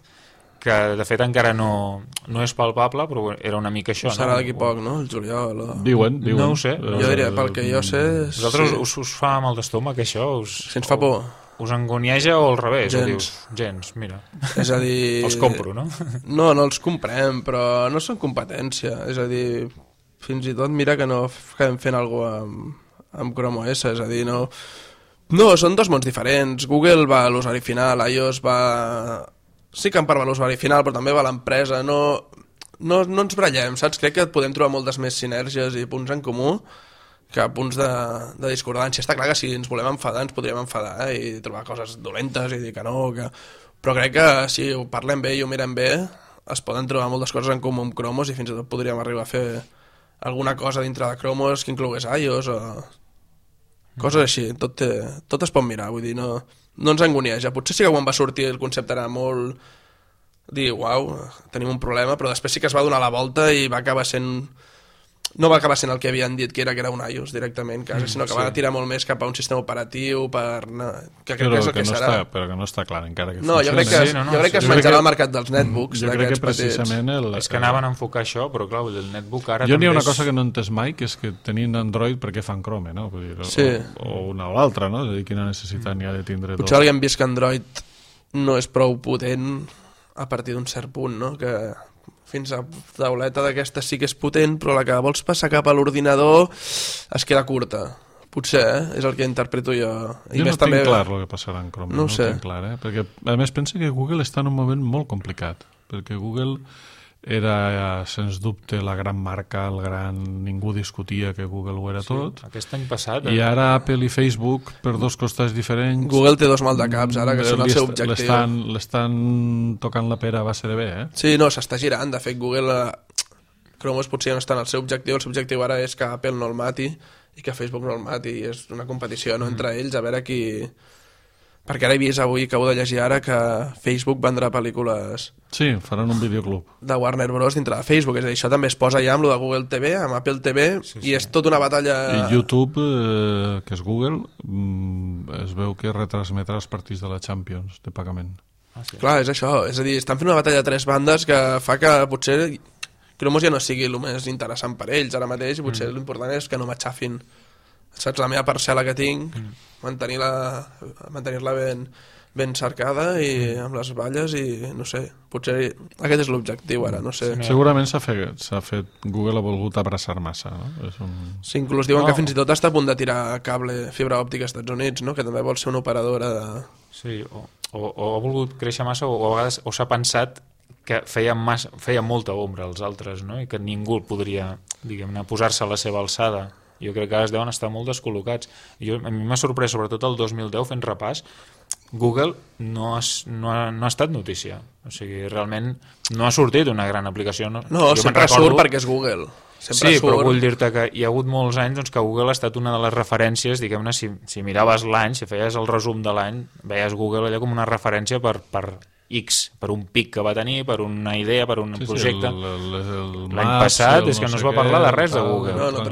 que de fet encara no és palpable, però era una mica això. Serà d'aquí poc, no? El juliol. Diuen. No ho sé. Jo diria, pel que jo sé... Vosaltres us fa mal d'estómac, això? Si ens fa por. Us angonieja o al revés? Gens. O dius, gens, mira. És a dir... Els compro, no? No els comprem, però no són competència. És a dir, fins i tot mira que no acabem fent alguna cosa amb Chrome OS, és a dir, no... No, són dos mons diferents. Google va a l'usuari final, iOS va... Sí que en part va a l'usuari final, però també va a l'empresa. No ens brallem, saps? Crec que podem trobar moltes més sinergies i punts en comú que punts de discordància. Està clar que si ens volem enfadar, ens podríem enfadar i trobar coses dolentes i dir que no, que... Però crec que si ho parlem bé i ho mirem bé, es poden trobar moltes coses en comú amb Chromos i fins i tot podríem arribar a fer alguna cosa dintre de Chromos que inclogués iOS o... Coses així, tot es pot mirar, vull dir, no ens angonieja. Potser sí que quan va sortir el concepte era molt... dir, uau, tenim un problema, però després sí que es va donar la volta i va acabar sent... No va acabar sent el que havien dit que era un iOS directament, sinó que va tirar molt més cap a un sistema operatiu que crec que és el que serà. Però que no està clar encara que funciona. Jo crec que es menjarà el mercat dels netbooks. Jo crec que precisament... És que anaven a enfocar això, però clar, el netbook ara jo n'hi ha una cosa que no he entès mai, que és que tenint Android, per què fan Chrome, no? Vull dir, sí. O una o l'altra, no? És a dir, quina necessitat n'hi ha de tindre Potser alguien vist que Android no és prou potent a partir d'un cert punt, no? Que fins a tauleta d'aquesta sí que és potent, però la que vols passar cap a l'ordinador es queda curta. Potser, és el que interpreto jo. I jo no tinc clar el que passarà en Chrome, no ho sé. Tinc clar, perquè a més penso que Google està en un moment molt complicat, perquè Google era, sens dubte, la gran marca, ningú discutia que Google ho era tot. Aquest any passat... I ara Apple i Facebook, per dos costats diferents... Google té dos maldecaps, ara, que són el seu objectiu. L'estan tocant la pera a base de bé, eh? Sí, no, s'està girant. De fet, Google... Chrome potser no està en el seu objectiu. El seu objectiu ara és que Apple no el mati i que Facebook no el mati. És una competició entre ells, a veure qui... Perquè ara he vist avui, acabo de llegir ara, que Facebook vendrà pel·lícules... Sí, faran un videoclub. De Warner Bros. Dintre de Facebook. És a dir, això també es posa ja amb lo de Google TV, amb Apple TV, i és tota una batalla... I YouTube, que és Google, es veu que retransmetrà els partits de la Champions de pagament. Sí. Clar, és això. És a dir, estan fent una batalla de tres bandes que fa que potser Cromos ja no sigui el més interessant per ells ara mateix, i potser l'important és que no m'aixafin. Saps, la meva parcel·la que tinc, mantenir-la ben cercada i amb les valles, i no sé, potser aquest és l'objectiu ara, no sé. Segurament s'ha fet, Google ha volgut abraçar massa, no? Sí, inclús diuen que fins i tot està a punt de tirar cable fibra òptica als Estats Units, no? Que també vol ser una operadora de... Sí, o ha volgut créixer massa, o a vegades s'ha pensat que feia molta ombra als altres, no? I que ningú podria, diguem-ne, posar-se a la seva alçada. Jo crec que ara es deuen estar molt descol·locats. A mi m'ha sorprès, sobretot el 2010, fent repàs, Google no ha estat notícia. O sigui, realment no ha sortit una gran aplicació. No, sempre surt perquè és Google. Sí, però vull dir-te que hi ha hagut molts anys doncs, que Google ha estat una de les referències, diguem-ne, si miraves l'any, si feies el resum de l'any, veies Google allà com una referència per X, per un pic que va tenir, per una idea, per un projecte. L'any passat és que no es va parlar de res de Google. No,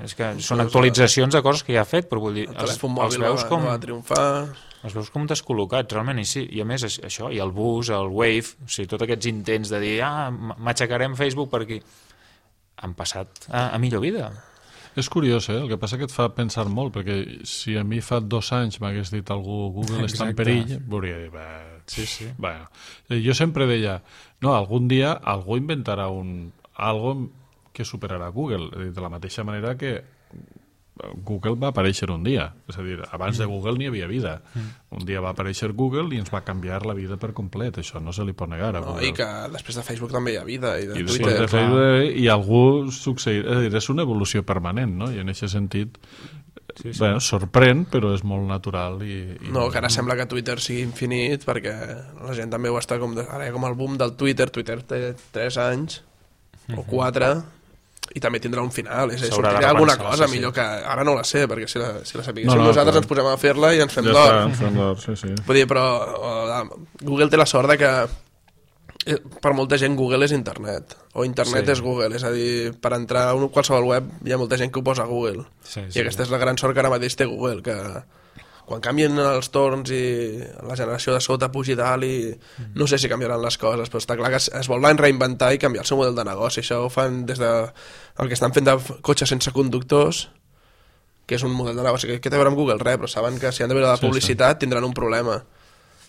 és que són actualitzacions de coses que ja ha fet, però vull dir, els veus com... va triomfar... Els veus com descol·locats, realment, i sí. I a més, això, i el bus, el Wave, o sigui, tots aquests intents de dir, m'aixecarem Facebook per aquí, han passat a millor vida. És curiós, el que passa que et fa pensar molt, perquè si a mi fa 2 anys m'hagués dit algú Google està en perill, hauria dit, sí. Bueno, jo sempre deia, no, algun dia algú inventarà algo que superarà Google, de la mateixa manera que Google va aparèixer un dia, és a dir, abans de Google n'hi havia vida. Un dia va aparèixer Google i ens va canviar la vida per complet, això no se li pot negar a Google. I que després de Facebook també hi ha vida, i de I Twitter. De Facebook, i algú succeirà, és a dir, és una evolució permanent, no? I en aquest sentit, bueno, sorprèn, però és molt natural. No, que ara sembla que Twitter sigui infinit, perquè la gent també ho està ara hi ha com el boom del Twitter té 3 anys, o 4, i també tindrà un final, sortirà alguna cosa millor que ara no la sé, perquè si la sapiguéssim nosaltres ens posem a fer-la i ens fem d'or. Sí. Vull dir, però Google té la sort de que per molta gent Google és internet, o internet és Google, és a dir, per entrar a qualsevol web hi ha molta gent que ho posa a Google, i aquesta és la gran sort que ara mateix té Google, que quan canvien els torns i la generació de sota pugi dalt i no sé si canviaran les coses, però està clar que es volen reinventar i canviar el seu model de negoci. Això ho fan des de el que estan fent de cotxes sense conductors, que és un model de negoci que té a veure amb Google, però saben que si han de veure la publicitat tindran un problema.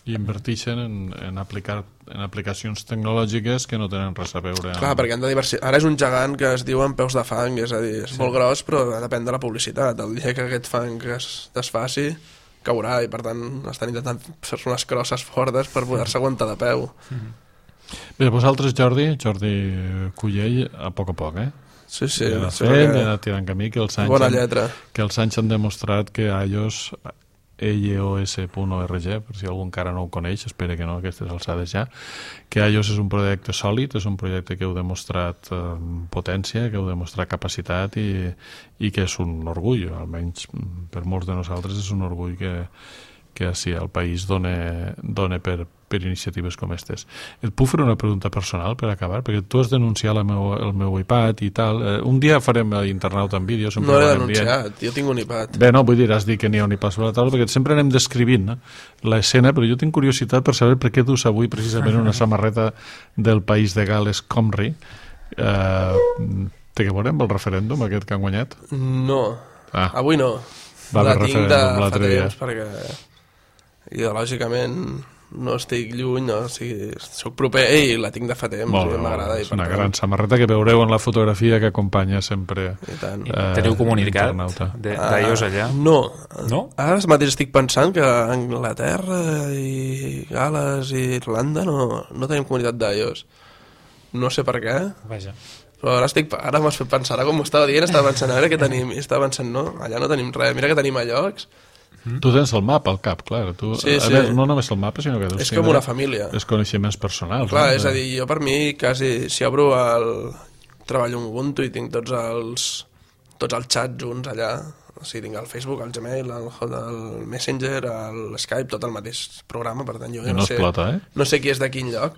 I inverteixen en aplicacions tecnològiques que no tenen res a veure amb... Clar, perquè han de ara és un gegant que es diu amb peus de fang, és a dir, és molt gros, però depèn de la publicitat. El dia que aquest fang es desfaci, caurà, i per tant estan intentant fer unes crosses fortes per poder-se aguantar de peu. Bé, vosaltres, Jordi Cullell, a poc, Sí. He anat tirant camí, que els anys han demostrat que iOS... iOS.org, per si algú encara no ho coneix, espero que no, aquestes alçades ja, que iOS és un projecte sòlid, és un projecte que heu demostrat potència, que heu demostrat capacitat i que és un orgull, almenys per molts de nosaltres és un orgull que sí, el país dona per iniciatives com aquestes. Et puc fer una pregunta personal per acabar? Perquè tu has denunciat el meu iPad i tal. Un dia farem internauta en vídeo. No l'he denunciat, jo tinc un iPad. Bé, no, vull dir, has dit que n'hi ha un iPad sobre la taula, perquè sempre anem descrivint l'escena, però jo tinc curiositat per saber per què dus avui precisament una samarreta del país de Gal·les Comrie. Té que veure amb el referèndum aquest que han guanyat? No, avui no. La tinc de fa temps perquè ideològicament no estic lluny, soc proper i la tinc de fa temps i m'agrada. És una gran samarreta que veureu en la fotografia que acompanya sempre. Teniu comunicat d'iOS allà? No. Ara mateix estic pensant que a Anglaterra i Gal·les i Irlanda no tenim comunitat d'iOS. No sé per què. Vaja. Però ara m'has fet pensar, com m'ho estava dient, estava pensant a veure què tenim, i estava pensant, no, allà no tenim res, mira que tenim a llocs. Tu tens el mapa al cap, clar. Sí. Veure, no només el mapa, sinó que... És com una família. Els coneixements personals. Clar, és a dir, jo per mi quasi, si obro treballo en Ubuntu i tinc tots els xats junts allà, o sigui, tinc el Facebook, el Gmail, el Messenger, el Skype, tot el mateix programa, per tant jo no sé qui és de quin lloc,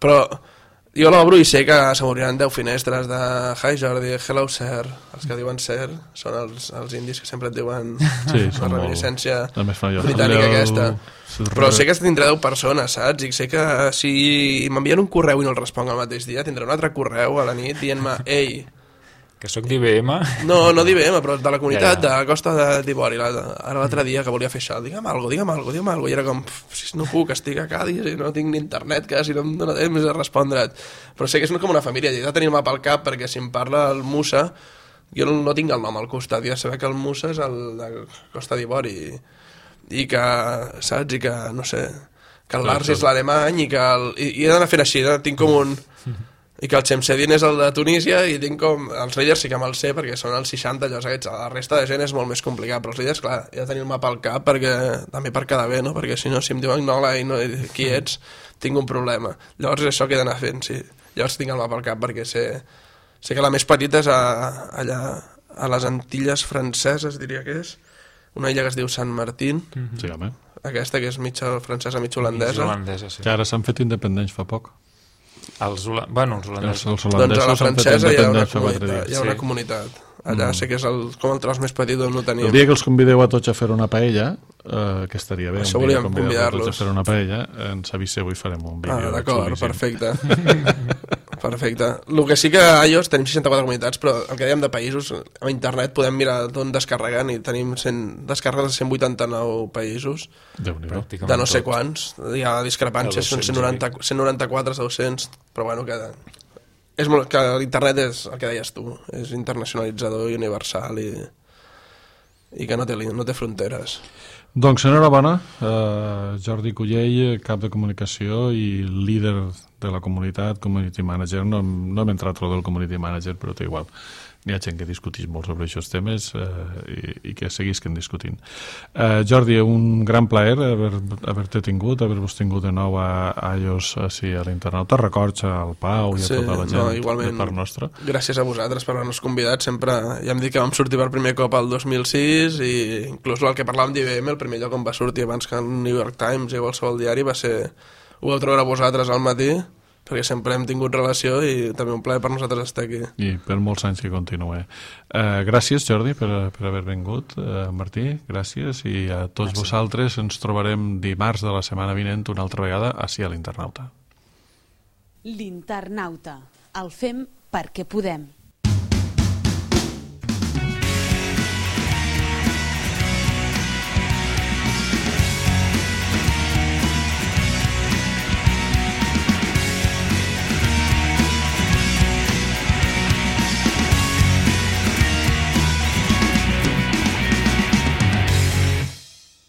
però jo l'obro i sé que se m'obriran 10 finestres de Hi Jordi, Hello Sir, els que diuen Sir són els indis que sempre et diuen la reminiscència britànica aquesta, però sé que tindré 10 persones, saps? I sé que si m'envien un correu i no el responc el mateix dia, tindré un altre correu a la nit dient-me, ei, que sóc d'IBM? No d'IBM, però de la comunitat de Costa d'Ivori. Ara l'altre dia que volia fer això, digue'm alguna cosa, i era com, no puc, estic a Cádiz i no tinc ni internet, quasi no em dóna temps de respondre't. Però sé que és com una família, he de tenir el mapa al cap, perquè si em parla el Musa, jo no tinc el nom al costat, i he de saber que el Musa és el de Costa d'Ivori, i que, saps, i que, no sé, que el Lars és l'alemany, i he d'anar fent així, tinc com un... i que el Chemsedin és el de Tunísia i tinc com... Els líders sí que me'ls sé perquè són els 60 llocs aquests, la resta de gent és molt més complicat, però els líders, clar, he de tenir el mapa al cap perquè també per quedar bé, no? Perquè si no, si em diuen qui ets, tinc un problema. Llavors és això que he d'anar fent, sí. Llavors tinc el mapa al cap perquè sé que la més petita és allà a les Antilles franceses, diria que és, una illa que es diu Sant Martín, sí, home. Aquesta que és mitja francesa, mitja holandesa. Sí. Que ara s'han fet independents fa poc. Els holandesos. Doncs a la francesa hi ha una comunitat. Allà sé que és com el tros més petit on no tenim. El dia que els convideu a tots a fer una paella, que estaria bé, això volíem convidar-los a fer una paella, ens aviseu i farem un vídeo. D'acord, perfecte. Perfecte. El que sí que a iOS tenim 64 comunitats, però el que dèiem de països, a internet podem mirar d'on descarreguen i tenim descarregues de 189 països, de no sé quants. Hi ha discrepàncies, són 194, 200, però bueno, que l'internet és el que deies tu, és internacionalitzador i universal i que no té fronteres. Doncs enhorabona, Jordi Cullell, cap de comunicació i líder de la comunitat, community manager. No hem entrat a lo del community manager, però té igual. N'hi ha gent que discutís molt sobre aquests temes i que seguisquen discutint. Jordi, un gran plaer haver-te tingut, haver-vos tingut de nou a iOS a l'internet. Records al Pau i a tota la gent de part nostra. Gràcies a vosaltres per haver-nos convidat. Sempre ja hem dit que vam sortir per primer cop al 2006 i inclús el que parlàvem d'IBM, el primer lloc on va sortir abans que el New York Times i qualsevol diari va ser... Ho vau treure vosaltres al matí, perquè sempre hem tingut relació i també un plaer per nosaltres estar aquí. I per molts anys que continuï. Gràcies, Jordi, per haver vingut. Martí, gràcies. I a tots vosaltres ens trobarem dimarts de la setmana vinent una altra vegada ací a l'Internauta. L'Internauta. El fem perquè podem.